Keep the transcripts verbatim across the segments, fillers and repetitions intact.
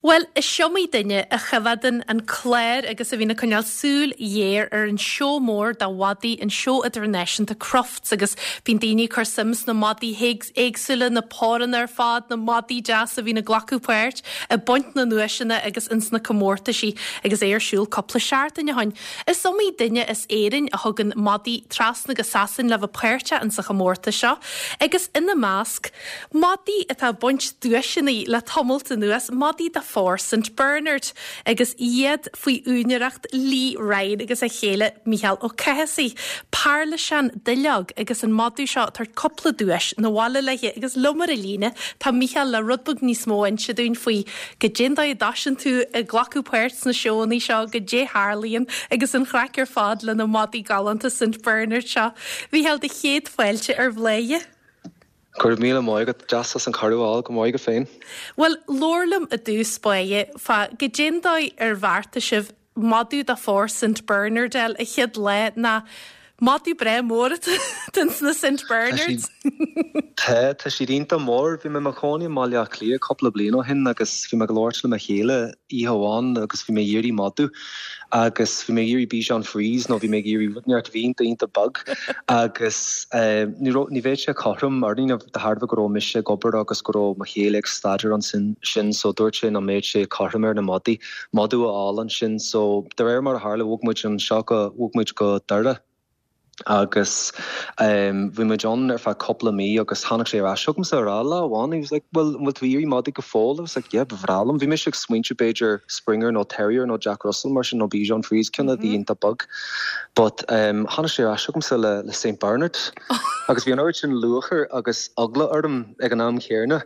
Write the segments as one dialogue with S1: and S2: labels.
S1: Bhuel, is iomaí duine a choimhéadann an clár agus a bhíonn ag coinneáil súil ghéar ar an seó mór de mhadaí an seó idirnáisiúnta Crufts agus bíonn daoine ag cur suim sna madaí éagsúla, na páranna ar fad, na madaí deasa a bhíonn ag glacadh páirt ag baint na nduaiseanna agus ins na comórtaisí agus é ar siúl cúpla seachtain ó shin. Is iomaí duine as Éirinn a thugann madaí trasna go Sasain le bheith páirteach insa chomórtas seo agus ina measc madaí atá ag baint duaiseanna le tamalt anuas, madaí de phór St Bernard agus iad faoi úinéireacht Lee Ryan agus a chéile Micheál Ó Cathasaigh. Parlaiseán duilleog agus an madadh seo tar cúpla duais 'na bhaile léi agus liom ar an líne tá Micheál le rud beag níos mó a inse dúinn faoi goidé an dóigh a dtosaíonn tú ag glacadh páirt sna seóanna seo goidé a tharlaíonn agus an chraic ar fad le na madaí galánta St Bernard seo. Mhicheál do chéad fáilte ar Bhladhaire.
S2: Go raibh míle maith agat deas as an cuireadh a fháil go maith go féin.
S1: Bhuel labhair liom i dtús báire fá goidé an dóigh ar bheartaigh sibh madadh de phór St Bernard a fháil an chéad lá ná madadh breá mór sna St Bernards.
S2: Tá tá siad iontach mór, bhí mé i mo chónaí i mBaile Átha Cliath cúpla bliain ó shin agus bhí mé ag labhairt le mo chéile oíche amháin agus bhí mé ag iarraidh madadh agus bhí mé ag iarraidh Bichon Frise nó bhí mé ag iarraidh rud inteacht a bhí iontach iontach beag agus ní raibh ní bheadh sé cothrom orainn de thairbhe go raibh mise ag obair agus go raibh mo chéile ag staidéar ansin sin so dúirt sé nach mbeadh sé cothrom ar na madaí madadh a fháil ansin so de réir mar a tharla bhog muid anseo go bhog muid go Doire agus um, bhí muid ann ar feadh cúpla mí agus tháinig sé ar ais chugamsa ar lá amháin he was like well bhfuil tú ag iarraidh madaí go fóill I was like yeah ba bhreá liom bhí mise ag smaointiú b'fhéidir Springer nó Terrier nó Jack Russell mar sin nó Bichon Frise ceann a bhí iontach beag but um, tháinig sé ar ais chugamsa le, le Saint Bernard agus bhí an oiread sin lúcháir agus eagla orm ag an am chéanna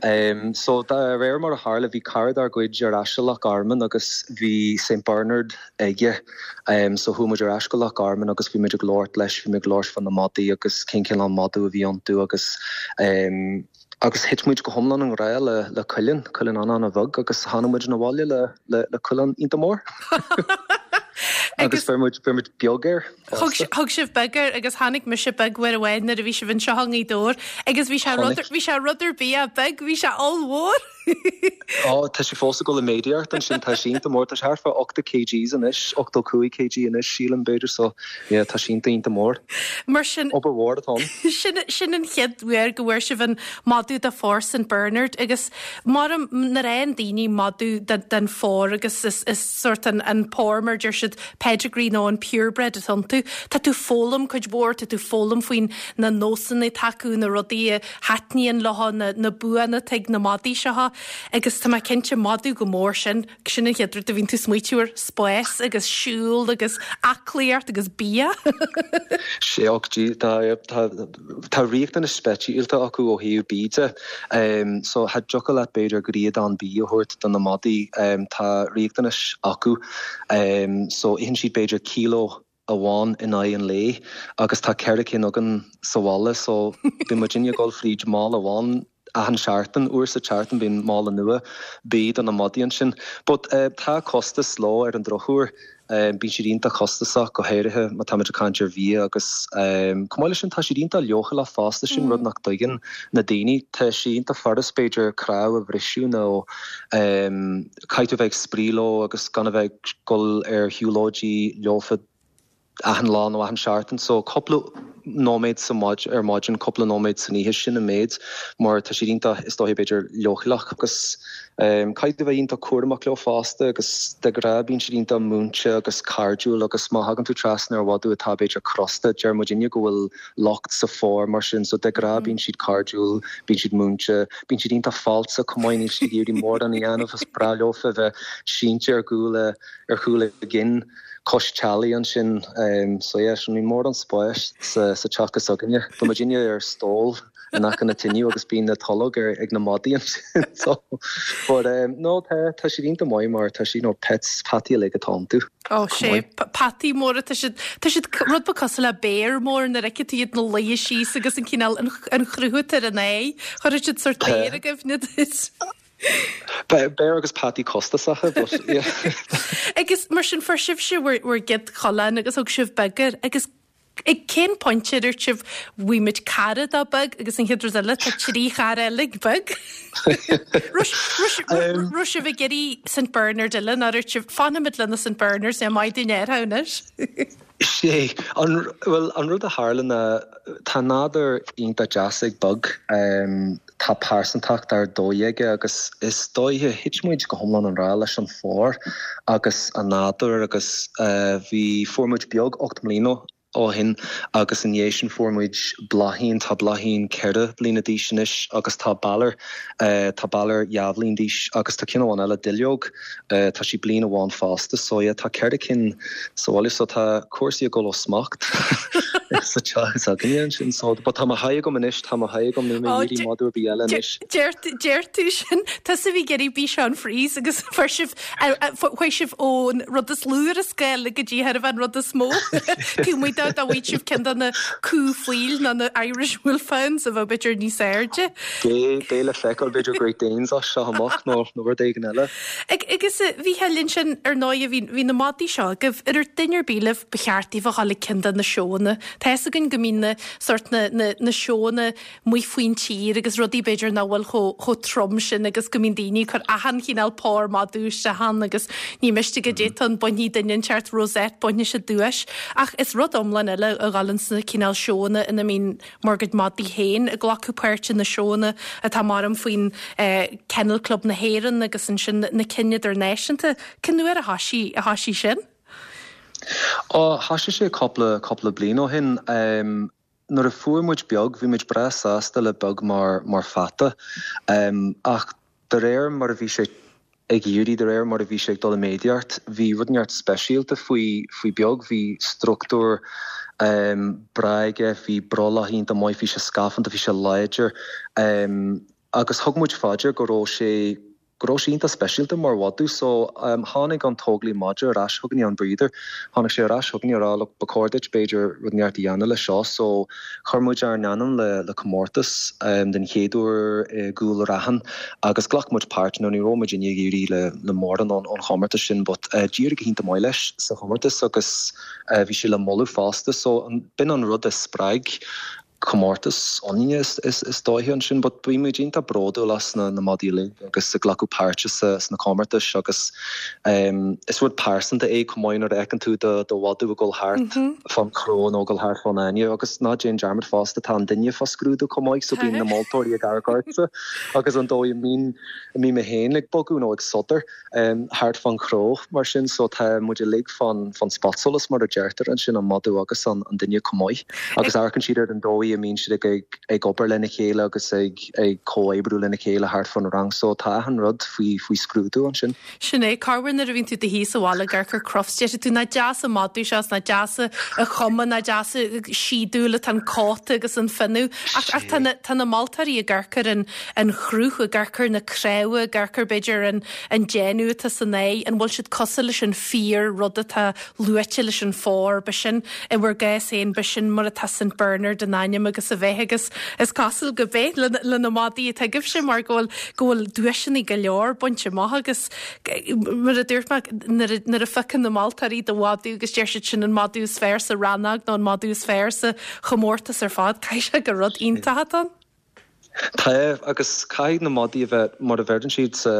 S2: um, so de réir mar a tharla bhí cara dár gcuid ar ais Loch Garman agus bhí Saint Bernard aige um, so chuaigh muid ar ais go Loch Garman agus bhí muid ag labhairt leis bhí muid ag labhairt fá na madaí agus cén cineál madadh a bhí iontu agus um, agus thit muid go hiomlán i ngrá le le coileán coileán an an-bheag agus tháinig muid 'na bhaile le le, le coileán iontach mór. agus fuair muid fuair muid beag air
S1: Thug sibh beag air agus tháinig mise beag uair amháin nuair a bhí sibh anseo i nGaoth Dobhair agus bhí sé bhí sé rud ar bith beag bhí sé ollmhór.
S2: Á tá sé fós ag dul i méadaíocht ansin tá sé iontach mór tá sé thart fá ochtó kgs anois ochtó cúig kg anois sílim b'fhéidir so yeah, tá sé iontach iontach mór.
S1: Mar sin
S2: Obair mhór atá.
S1: sin sin an chéad uair go bhfuair sibh an madadh de phór St Bernard agus mar na raon daoine madadh den, den phór agus is, is sort an, an pór mar deir siad pedigree nó an purebred atá iontu. Tá tú foghlaim cuid mhór tá tú foghlaim faoin na nósanna atá acu na rudaí a thaitníonn leo na, na buanna atá ag na madaí seo agus tá mé cinnte madadh go mór sin sin an chéad rud a bhíonn tú smaoitiúir spás agus siúl agus aclaíocht agus bia.
S2: Séochtí tá tá riachtanais speisialta acu ó thaobh bia de. Um, so cha dtiocfadh leat b'fhéidir griadán bia a thabhairt do na madaí um, tá riachtanais acu. Um, so itheann siad b'fhéidir kilo amháin in aghaidh an lae agus tá ceithre cinn againn sa bhaile so bíonn muid ag dul fríd mála amháin achan seachtain uair sa tseachtain bíonn mála nua bia do na madaí ansin. But uh, tá costas leo ar an drochuair. Um, bíonn siad iontach costasach go háirithe má tá muid ag caint ar bhia agus um, chomh maith leis sin tá siad iontach leochaileach fosta sin mm. rud nach dtuigeann na daoine tá sé iontach furast b'fhéidir cnámh a bhriseadh nó um, caithfidh tú bheith ag spraoi leo agus gan a bheith ag dul ar shiúlóidí leofa achan lá nó achan seachtain so cúpla nóiméad sa maid ar maidin cúpla nóiméad san oíche sin an méid mar tá siad iontach is dóigh b'fhéidir leochaileach agus um, caithfidh tú bheith iontach cúramach leo fosta agus de ghnáth bíonn siad iontach múinte agus cairdiúil agus má thagann tú trasna ar mhadadh atá b'fhéidir crosta deir muidinne go bhfuil locht sa phór mar sin so de ghnáth bíonn siad cairdiúil bíonn siad múinte bíonn siad iontach falsa cumáin siad iarraidh mórán a dhéanamh is breá leofa bheith sínte ar chúl ar chúl a gcinn cois teallaigh ansin um, so yeah, sin ní mór an spáis sa, sa teach s'againne. Tá muidinne ar stól in aice na tine agus bíonn na tolg ar ag na madaí ansin so but um, no tá tá siad iontach maith mar tá siad nó pets peataí le atá iontu.
S1: Ó sé peataí móra tá siad tá siad rud beag cosúil le béar mór na reice iad na luí síos agus an cineál an an chruth ar an é chuir siad sort béar a gcuimhne duit.
S2: Béar agus peataí costasacha but yeah.
S1: Agus mar sin fuair sibhse bhur gcéad choileán agus thug sibh beag air agus Ag cén pointe a dúirt sibh bhfuimid cara dá Beag agus an chéad rud eile tá trí chara eile ag Beag? Raibh sibh ag iarraidh Saint Bernard eile nó dúirt sibh fanfaimid le na Saint Bernards é maith dúinn air anois?
S2: Sé an well an rud a tharla ná tá nádúr iontach deas ag Beag um, tá pearsantacht ar dóigh aige agus is dóiche thit muid go hiomlán i ngrá leis an phór agus an nádúr agus uh, bhí fuair muid Beag ocht mbliana ó shin agus an sin fuair muid Bláithín tá Bláithín ceithre bliana d'aois anois agus tá Balor uh, tá Balor dhá bhliain d'aois agus tá ceann amháin eile Duilleog uh, tá sí bliain amháin fásta so yeah, tá ceithre cinn sa bhaile so tá cúrsaí ag dul ó smacht sa teach againne sin so but tá mo sháith agam anois tá mo sháith agam níl mé ag iarraidh madra ar bith eile anois.
S1: Deir tú sin Tá a bhí ag iarraidh Bichon Frise agus fuair sibh chuaigh sibh ón rud is lú ar an scála go dtí thar an rud is mó. Tú mu dá bhfuil sibh ceann de na cú faoil ná na Irish Wolfhounds a bheith b'fhéidir níos airde.
S2: Bé le feiceáil b'fhéidir Great Danes as seo amach nó nó rud éigin eile.
S1: Agus bhí linn sin ar ndóigh bhí na madaí seo agaibh ar duine ar bith libh ba cheart daoibh a dhul ag ceann de na seónna. Tá a fhios againn go mbíonn na sort na, na, na seónna amuigh faoin tír agus rudaí b'fhéidir nach bhfuil chomh trom sin agus go mbíonn daoine ag cur achan chineál pór madadh isteach ann agus ní miste go dté an bainní duine teart rosette bainne se duais ach is rud iomlán eile a ghabhann sna cineál seónna ina mbíonn bhur gcuid madaí féin ag glacadh páirte na seónna atá mar an faoin eh, Kennel Club na hÉireann agus ansin na cinn idirnáisiúnta Cén uair a thosaigh a thosaigh sin?
S2: Ó thosaigh sé cúpla cúpla bliain ó shin um, nuair a fuair muid Beag bhí muid breá sásta le Beag mar mar pheata um, ach de réir mar a bhí sé ag éirí de réir mar a bhí sé ag dul i méadaíocht, bhí rud inteacht speisialta faoi faoi Beag bhí struchtúr um, breá aige bhí brollach iontach maith bhí sé scafanta bhí sé láidir um, agus thug muid faoi deara go raibh sé go raibh sé iontach speisialta mar mhadadh so um, tháinig an tógálaí madra ar ais chugainne an breeder tháinig sé ar ais chugainne ag rá ba chóir duit b'fhéidir rud inteacht a dhéanamh le seo so chuir muid ár n-ainm le le comórtas um, den chéad uair i gCúil Raithin agus ghlac muid páirt nó ní raibh muid ag éirí le le mórán an an chomórtas sin but uh, d'éirigh go hiontach maith leis sa chomórtas agus uh, bhí sé le moladh fosta so an b'in an rud a spreag comórtas ionainne is, is, is dóiche ansin, but bhí muid iontach bródúil as na, na madaí agus ag glacadh páirte sa sna comórtais agus um, is rud pearsanta é chomh maith nuair a fheiceann tú do do mhadadh ag dul thart mm -hmm. fan chró nó dul thart fan fháinne agus ná déan dearmad fosta tá an duine fá scrúdú chomh maith so bíonn na moltóirí ag amharc ortsa agus an dóigh mín mí mé féin ag bogadh nó ag sodar um, thart fan chró mar sin so tá muid uilig fan fan spotsolas mar a deirtear ansin an madadh agus an, an duine chomh maith agus amharcann siad ar an dóigh a mbíonn siad ag ag, ag obair lena chéile agus ag ag comhoibriú lena chéile thart fan rang so tá an rud faoi faoi scrúdú ansin.
S1: Sin é carhar nuair a bhíonn tú i do shuí sa bhaile ag amharc ar Crufts deir tú nach deas an madadh seo nach deas a chuma nach deas sídúil an cóta agus an fionnadh ach ach tá na tá na moltóirí ag amharc ar an an chruth ag amharc ar na cnámha ag amharc ar b'fhéidir an an déanamh atá san é an bhfuil siad cosúil leis an fíor rud atá luaite leis an phór b'shin i bhur gcás féin b'shin mar atá Saint Bernard in ainm agus a bheith agus is cosúil go b'é le le na madaí atá agaibhse mar go bhfuil go bhfuil duaiseanna go leor bainte amach agus mar a dúirt mé nuair a fheiceann na moltóirí do mhadadh agus deir siad sin an madadh is fearr sa rannóg nó an madadh is fearr sa chomórtas ar fad caithfidh sé gur rud iontach an.
S2: Tá agus caithfidh na madaí a bheith mar a bheireann siad sa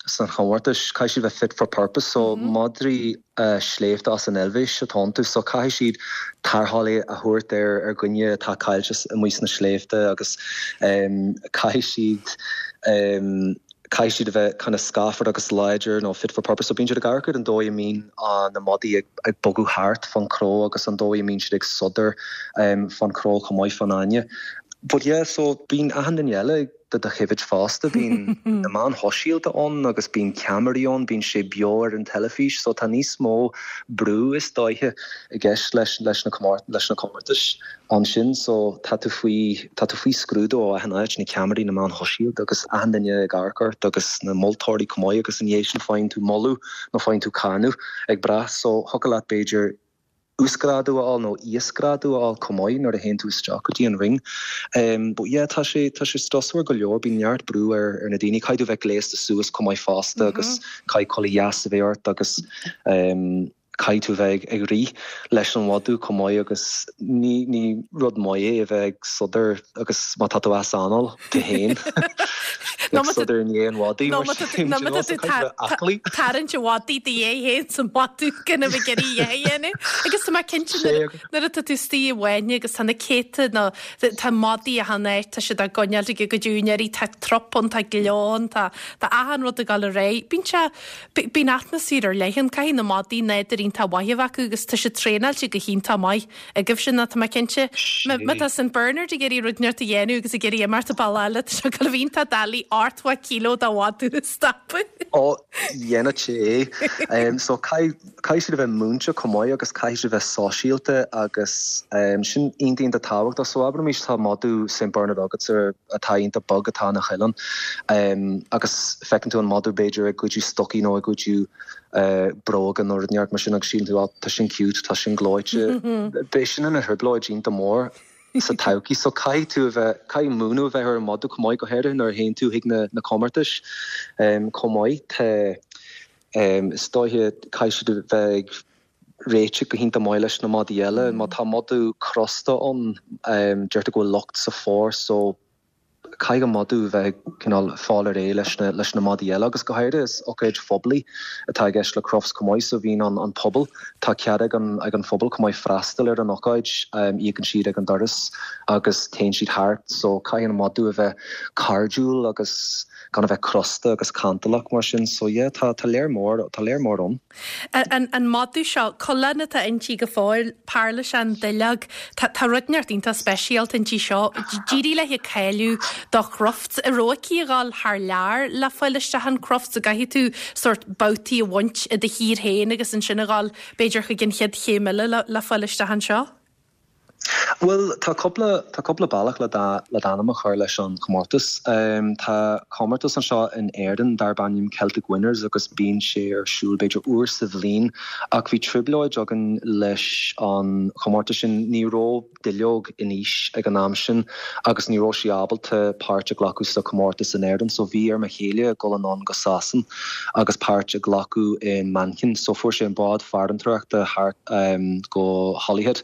S2: san chomórtas caithfidh siad bheith fit for purpose so mm -hmm. madraí uh, sléibhte as an Eilvéis atá iontu so caithfidh siad tarrtháil a thabhairt ar ar dhuine atá caillte amuigh sna sléibhte agus um, caithfidh siad um, caithfidh siad a bheith kind of scafar agus láidir nó fit for purpose so bíonn siad ag amharc ar an dóigh a mbíonn uh, na madaí ag, ag bogadh thart fan chró agus an dóigh a mbíonn siad ag sodar um, fan chró chomh maith fan fháinne. But yeah, so bíonn achan duine eile do do choimhéad fosta bíonn na meáin shóisialta ann agus bíonn ceamaraí ann bíonn sé beo ar an teilifís so tá níos mó brú is dóiche i gceist leis leis na leis na comórtais ansin so tá tú faoi tá tú faoi scrúdú ó achan áit na ceamaraí na meáin shóisialta agus achan duine ag amharc ort agus na moltóirí chomh maith agus an sin faigheann tú moladh nó faigheann tú cáineadh ag brath so thiocfadh leat b'fhéidir uasghrádú a fháil nó íosghrádú a fháil chomh maith nuair a théann tú isteach go dtí an ring. Um, but yeah, tá sé tá sé strusmhar go leor bíonn neart brú ar ar na daoine caithfidh tú bheith gléasta suas chomh maith fosta mm -hmm. agus caithfidh culaith dheas a bheith ort agus um, Caithfidh tú bheith ag rith leis an mhadadh chomh maith agus ní ní rud maith é a bheith ag sodar agus má tá tú as anáil tú féin ag sodar i ndiaidh an mhadaidh mar sin do you know, so caithfidh tú bheith aclaí.
S1: Tarraingt an mhadaidh do dhiaidh féin sa mhadadh gan a bheith ag iarraidh a dhéanamh. Agus tá mé cinnte nuair nuair atá tú istigh i bhfáinne agus tá na céadta nó tá madaí achan áit, tá siad á gcoinneáil ag a gcuid úinéirí, tá trup ann, tá gleo ann, tá tá achan rud ag dul ar aghaidh. Bíonn sé bíonn atmaisféar ar leith ann, caithfidh na madaí nádúr iontach mhaith a bheith acu agus tá siad traenáilte go hiontach maith agaibhse ná tá mé cinnte. Má tá Saint Bernard ag iarraidh rud inteacht a dhéanamh agus ag iarraidh imeacht an bealach eile, tá sé ag dul a bheith iontach doiligh ochtó kilo de mhadadh a stopadh.
S2: Ó, dhéanfadh sé é. So caithfidh siad a bheith múinte chomh maith agus caithfidh siad a bheith sóisialta agus sin iontach iontach tábhachtach. So abraimis tá madadh Saint Bernard agat atá iontach bog atá ina choileán agus feiceann tú an madadh b'fhéidir ag goideadh stocaí nó ag goideadh bróga nó rud inteacht mar sin agus síleann tú á tá sin cute, tá sin gleoite. Beidh sin ina thrioblóid iontach mór sa todhchaí. So caithfidh tú a bheith, caithfidh múineadh a bheith ar an madadh chomh maith go háirithe nuair a théann tú chuig na, na comórtais chomh maith. Tá is dóiche caithfidh siad a bheith ag réiteach go hiontach maith leis na madaí eile. Má tá madadh crosta ann, deirtear go bhfuil locht sa phór so caithfidh an madadh a bheith cineál fáil ar aghaidh leis na leis na madaí eile agus go háirithe is ócáid phoiblí atá i gceist le Crufts chomh maith so bíonn an an pobal tá cead ag an ag an phobal chomh maith freastal ar an ócáid íocann siad ag an doras agus téann siad thart so caithfidh an madadh a bheith cairdiúil agus gan a bheith crosta agus cantalach mar sin so yeah tá tá léir mór tá léir mór ann.
S1: An an madadh seo coileán atá inti go fóill pairliseán duilleog tá tá rud inteacht iontach speisialta inti seo d'éirigh léi cáiliú do Chrufts an raibh aici a dhul thar lear le fáil isteach an Crufts an gcaithfidh tú sórt babhtaí a bhaint i do thír féin agus ansin a dhul b'fhéidir chuig an chéad chéim eile le le fáil isteach anseo?
S2: Bhuel tá cúpla tá cúpla bealach le le d'ainm a chur leis an chomórtas. Um, tá comórtas anseo in Éirinn darb ainm Celtic Winners agus bíonn sé ar siúl b'fhéidir uair sa bhliain ach bhí trioblóid againn leis an chomórtas sin ní raibh duilleog in aois ag an am sin agus ní raibh sí ábalta páirt a ghlacadh sa chomórtas in Éirinn, so bhí ar mo chéile dul anonn go Sasain agus páirt a ghlacadh in Manchain, so fuair sé an bád farantóireachta thart um, go Holyhead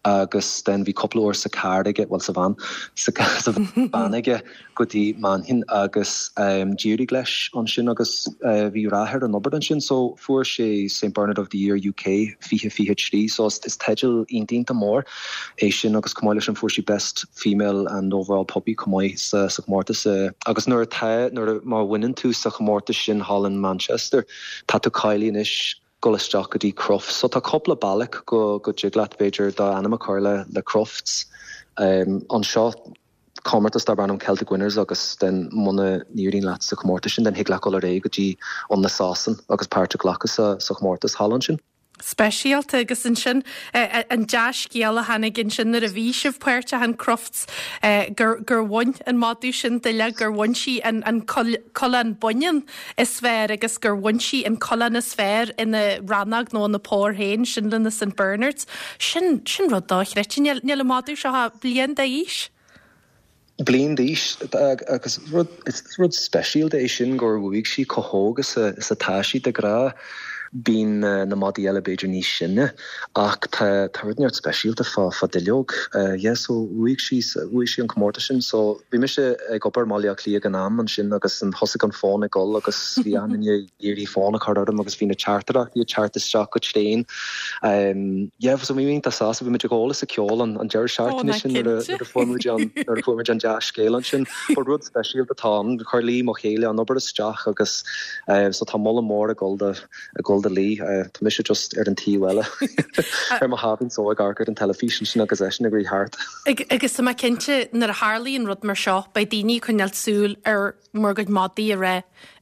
S2: agus then bhí cúpla uair sa car aige well sa van sa sa van aige go dtí Manchain agus um, d'éirigh leis ansin agus uh, bhí rath ar an obair ansin so fuair sé St Bernard of the Year UK fiche fiche trí so is, is teideal iontach mór é sin agus chomh maith leis an fuair sí best female and overall puppy chomh maith sa, sa chomórtas uh, agus nuair atá nuair má bhaineann tú sa chomórtas sin thall in Manchester tá tú cáilithe anois dul isteach go dtí Crufts. So tá cúpla bealach go go dtig leat b'fhéidir d'ainm a chur le le Crufts. Um, anseo comórtas darb ainm Celtic Winners agus den muna n-éiríonn leat sa chomórtas sin den thig leat dul ar aghaidh go dtí an na Sasain agus páirt a ghlacadh sa, sa chomórtas thall ansin.
S1: Speisialta agus ansin an dea-scéal a tháinig ansin nuair a bhí sibh páirteach in Crufts gur gur bhain an madadh sin duille gur bhain sí an an coileán baineann is fearr agus gur bhain sí an coileán is fearr ina rannóg nó ina pór féin sin le na St Bernards. Sin sin rud dochreidte níl níl an madadh seo bliain d'aois.
S2: Bliain d'aois agus rud is rud speisialta é sin gur bhuaigh sí chomh hóg is is atá sí de ghnáth bíonn na madaí eile b'fhéidir níos sine ach tá tá rud neart speisialta fá fá duilleog. Uh, yeah, so bhuaigh sí bhuaigh sí an comórtas sin, so bhí mise ag obair i mBaile Átha Cliath ag an am ansin agus an thosaigh an fón ag dul agus bhí an iarraidh fón a chur orm agus bhí na teachtaireachtaí ag teacht isteach go tréan. Um, yeah, so bhí iontach sásta bhí muid ag ól is ag ceol an an deireadh seachtaine sin nuair a fuair muid an nuair a fuair muid an dea-scéal ansin. Ba rud speisialta atá ann chuir Lee mo chéile an obair isteach agus uh, so tá moladh mór ag dul do ag dul do Lee uh, tá mise just ar an taobh eile ar mo sháimhín só ag amharc ar an teilifís sin agus eisean ag rith thart.
S1: Agus tá mé cinnte nuair a tharlaíonn rud mar seo beidh daoine ag coinneáil súil ar bhur gcuid madaí a rá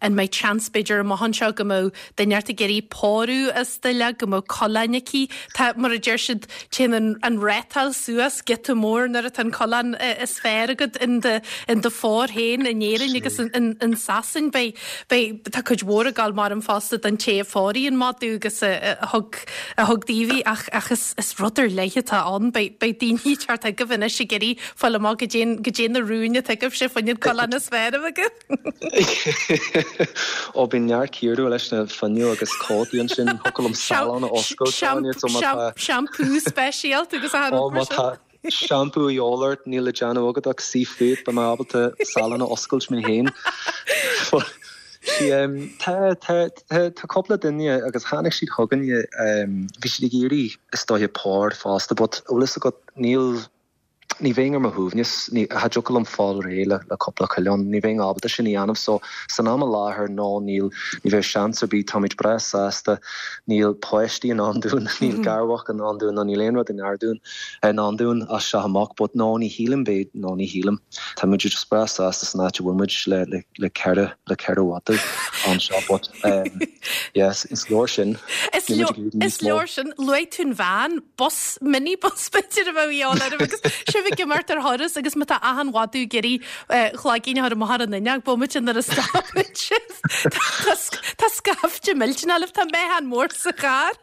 S1: an mbeidh seans b'fhéidir amach anseo go mbeadh duine ag iarraidh pórú as duilleog go mbeadh coileán aici Tá mar a deir siad téann an, an rátáil suas giota mór nuair atá an coileán is fearr agat in do in do phór féin in Éirinn agus in, in, in Sasain beidh beidh tá cuid mhór ag gabháil mar an fosta don té a phóraigh an madadh agus a thug a thug daoibh í ach ach is is rud ar leith atá ann beidh beidh daoine thart agaibh anois ag iarraidh fáil amach goidé goidé na rúin atá agaibhse faoin coileán is fearr a bheith agaibh.
S2: Ó bíonn neart cíoradh leis na fuinneoga agus cótaí ansin thiocfadh liom salon a oscailt
S1: Shampoo speisialta agus a
S2: Ó má tá shampoo a dhíobháil ort níl le déanamh agat ach suí fút beidh mé ábalta salon a oscailt mé féin. Tá tá cúpla duine agus tháinig siad chugainne bhí siad ag iarraidh is dóiche pór fosta, but bhfuil fhios agat níl ní bheinn ar mo shuaimhneas ní cha dtiocfadh liom fáil réidh le le cúpla coileán, ní bheinn ábalta sin a dhéanamh so san am i láthair no níl ní bheidh seans ar bith táimid breá sásta níl páistí i ndán dúinn níl garmhac i ndán dúinn ná níl aon rud i ngar dúinn i ndán dúinn as seo amach but no ní shílim b'fhéidir no ní shílim tá muid just breá sásta san áit a bhfuil muid le le le ceithre le ceithre mhadadh anseo but um, yes is leor sin
S1: Is leor is leor sin luaigh tú an veain bus minibus b'fhéidir a bheadh á agus sibh ag imeacht ar thuras agus má tá achan mhadadh ag iarraidh cloigín a chur amach ar an fhuinneog bomaite nuair a stopann sibh. Tá scaifte millteanach libh tá meáchan mór sa charr.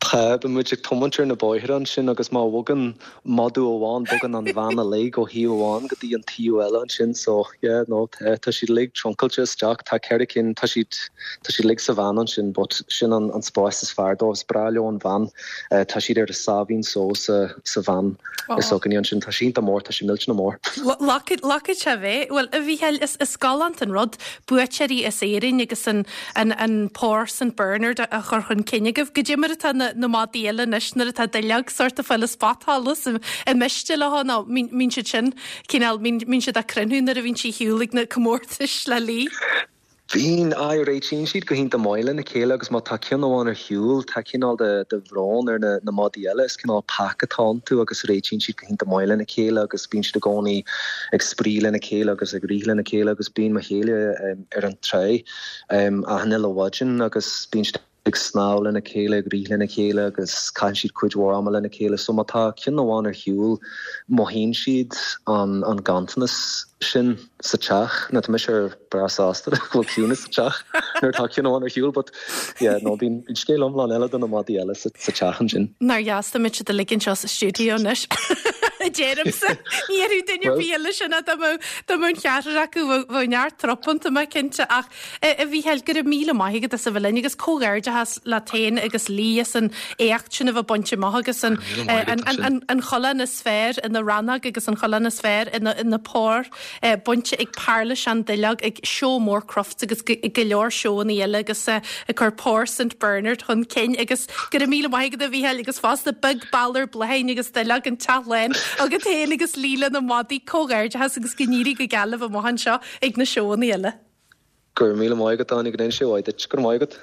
S2: Tá bíonn muid ag tiomáint ar na bóithre ansin agus má bhogann madadh amháin bogann an veain uilig ó thaobh amháin go dtí an taobh eile ansin so yeah no tá tá siad uilig truncailte isteach tá ceithre cinn tá siad tá siad uilig sa veain ansin but sin an an spás is fearr dóibh is breá leo an veain uh, tá siad ar a sáimhín só sa sa veain is againne ansin tá sínta mór tá sé millteanach mór.
S1: Lacad sé bheith well a Mhícheáil is is galánta an rud buaiteoirí as Éirinn agus an an an pór St Bernard a chur chun cinn agaibh goidé mar atá na na madaí eile anois nuair atá duilleog sort of fáil spotsolas i miste le nó mbíonn siad sin cineál mbíonn siad ag crinniú nuair a bhíonn sí shiúl ag na comórtais le lí.
S2: Bíonn á réitíonn siad go hiontach maith lena chéile agus má tá ceann amháin ar shiúl tá cineál de de bhrón ar na na madaí eile is cineál pack atá iontu agus réitíonn siad go hiontach maith lena chéile agus bíonn siad i gcónaí ag spraoi lena chéile agus ag rith lena chéile agus bíonn mo chéile um, ar an trá um, achan uile mhaidin agus bíonn siad ag snámh lena chéile ag rith lena chéile agus caitheann siad cuid mhór ama lena chéile so má tá ceann amháin ar shiúl mothaíonn siad an an ganntanas sin sa teach na tá mise breá sásta go bhfuil ciúnas sa teach nuair tá ceann amháin ar shiúl but yeah, no bíonn scéal iomlán eile do na madaí eile sa, sa teach ansin.
S1: Nár dheas muid a ligean seo sa stiúideo anois. Déaramsa ní ar duine bí eile sin dá mbeadh an ceathrar acu bheadh neart tropanta má cinnte ach a Mhícheáil go raibh míle maith agat as a bheith linn agus comhghairdeachas leat féin agus Lee as an éacht sin a bheith bainte amach agus an an an choileán is fearr ina rannóg agus an choileán is fearr ina ina pór bainte ag Parlais an Duilleog ag seó mór Crufts agus go leor seónna eile agus ag cur pór St Bernard chun cinn agus go raibh míle maith agat a Mhícheáil agus fosta beag balor bláthain agus duilleog an teach lán agus féin agus Lee na madaí comhghairdeachas agus go n-éirí go geal libh amach anseo ag na seónna eile.
S2: Gur míle maith agat Áine go sé bhaid gur maigad.